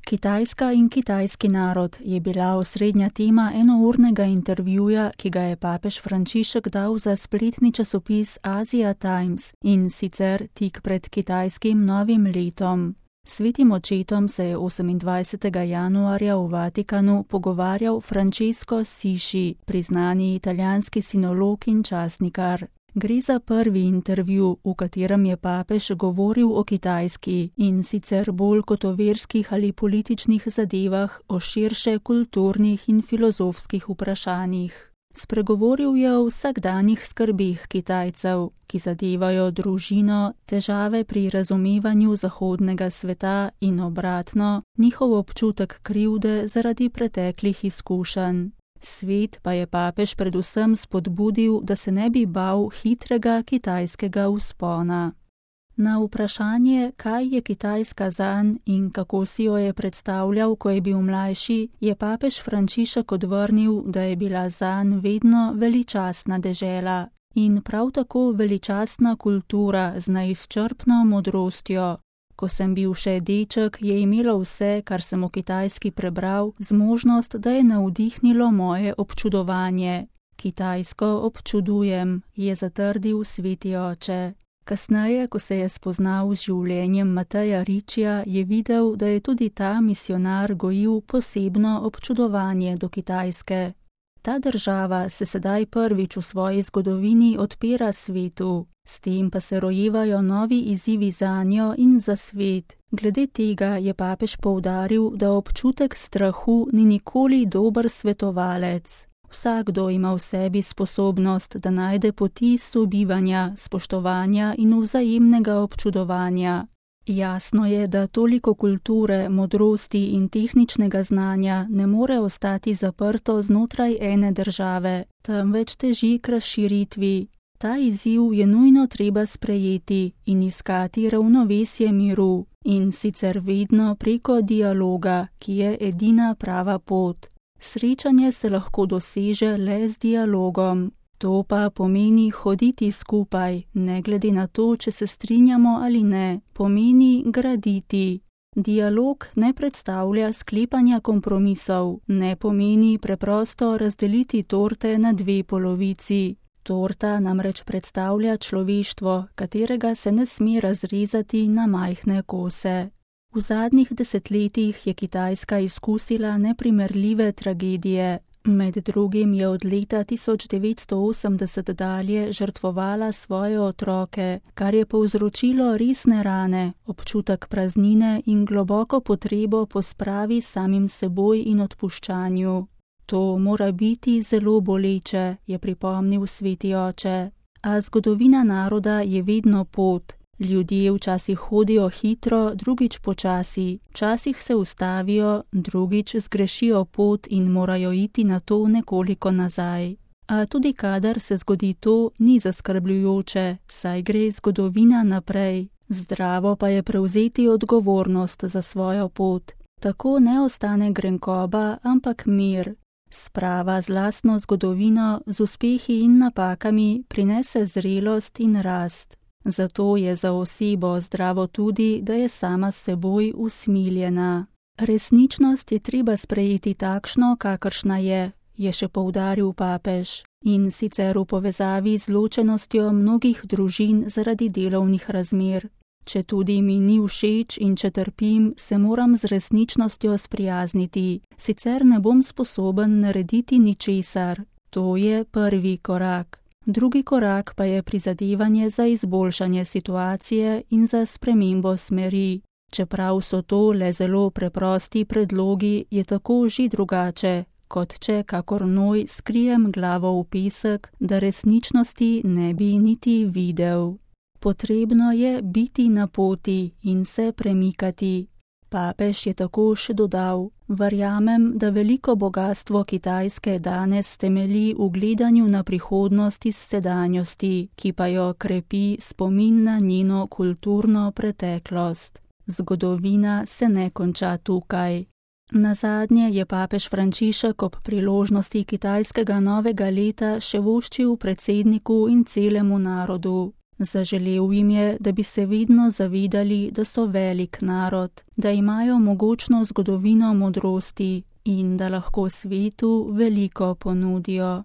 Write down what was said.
Kitajska in kitajski narod je bila osrednja tema enournega intervjuja, ki ga je papež Frančišek dal za spletni časopis Asia Times, in sicer tik pred kitajskim novim letom. Svetim očetom se je 28. januarja v Vatikanu pogovarjal Francesco Sisci, priznani italijanski sinolog in časnikar. Gre za prvi intervju, v katerem je papež govoril o Kitajski, in sicer bolj kot o verskih ali političnih zadevah, o širše kulturnih in filozofskih vprašanjih. Spregovoril je o vsakdanjih skrbeh Kitajcev, ki zadevajo družino, težave pri razumevanju zahodnega sveta in obratno, njihov občutek krivde zaradi preteklih izkušenj. Svet pa je papež predvsem spodbudil, da se ne bi bal hitrega kitajskega vzpona. Na vprašanje, kaj je Kitajska zanj in kako si jo je predstavljal, ko je bil mlajši, je papež Frančišek odvrnil, da je bila zanj vedno veličastna dežela in prav tako veličastna kultura z neizčrpno modrostjo. Ko sem bil še deček, je imelo vse, kar sem o Kitajski prebral, zmožnost, da je navdihnilo moje občudovanje. Kitajsko občudujem, je zatrdil sveti oče. Kasneje, ko se je spoznal z življenjem Mateja Riccija, je videl, da je tudi ta misionar gojil posebno občudovanje do Kitajske. Ta država se sedaj prvič v svoji zgodovini odpira svetu. S tem pa se rojevajo novi izzivi zanjo in za svet. Glede tega je papež poudaril, da občutek strahu ni nikoli dober svetovalec. Vsakdo ima v sebi sposobnost, da najde poti sobivanja, spoštovanja in vzajemnega občudovanja. Jasno je, da toliko kulture, modrosti in tehničnega znanja ne more ostati zaprto znotraj ene države, temveč teži k razširitvi. Ta izziv je nujno treba sprejeti in iskati ravnovesje miru, in sicer vedno preko dialoga, ki je edina prava pot. Srečanje se lahko doseže le z dialogom. To pa pomeni hoditi skupaj, ne glede na to, če se strinjamo ali ne, pomeni graditi. Dialog ne predstavlja sklepanja kompromisov, ne pomeni preprosto razdeliti torte na dve polovici. Torta namreč predstavlja človeštvo, katerega se ne sme razrezati na majhne kose. V zadnjih desetletjih je Kitajska izkusila neprimerljive tragedije. Med drugim je od leta 1980 dalje žrtvovala svoje otroke, kar je povzročilo resne rane, občutek praznine in globoko potrebo po spravi samim seboj in odpuščanju. To mora biti zelo boleče, je pripomnil sveti oče. A zgodovina naroda je vedno pot. Ljudje včasih hodijo hitro, drugič počasi, včasih se ustavijo, drugič zgrešijo pot in morajo iti na to nekoliko nazaj. A tudi kadar se zgodi to, ni zaskrbljujoče, saj gre zgodovina naprej. Zdravo pa je prevzeti odgovornost za svojo pot. Tako ne ostane grenkoba, ampak mir. Sprava z lastno zgodovino, z uspehi in napakami prinese zrelost in rast. Zato je za osebo zdravo tudi, da je sama s seboj usmiljena. Resničnost je treba sprejeti takšno, kakršna je še poudaril papež, in sicer v povezavi z ločenostjo mnogih družin zaradi delovnih razmer. Če tudi mi ni všeč in če trpim, se moram z resničnostjo sprijazniti, sicer ne bom sposoben narediti ničesar. To je prvi korak. Drugi korak pa je prizadevanje za izboljšanje situacije in za spremembo smeri. Čeprav so to le zelo preprosti predlogi, je tako že drugače, kot če kakor noj skrijem glavo v pesek, da resničnosti ne bi niti videl. Potrebno je biti na poti in se premikati. Papež je tako še dodal: verjamem, da veliko bogastvo Kitajske danes temelji v gledanju na prihodnost iz sedanjosti, ki pa jo krepi spomin na njeno kulturno preteklost. Zgodovina se ne konča tukaj. Nazadnje je papež Frančišek ob priložnosti kitajskega novega leta še voščil predsedniku in celemu narodu: Zaželel jim je, da bi se vedno zavedali, da so velik narod, da imajo mogočno zgodovino modrosti in da lahko svetu veliko ponudijo.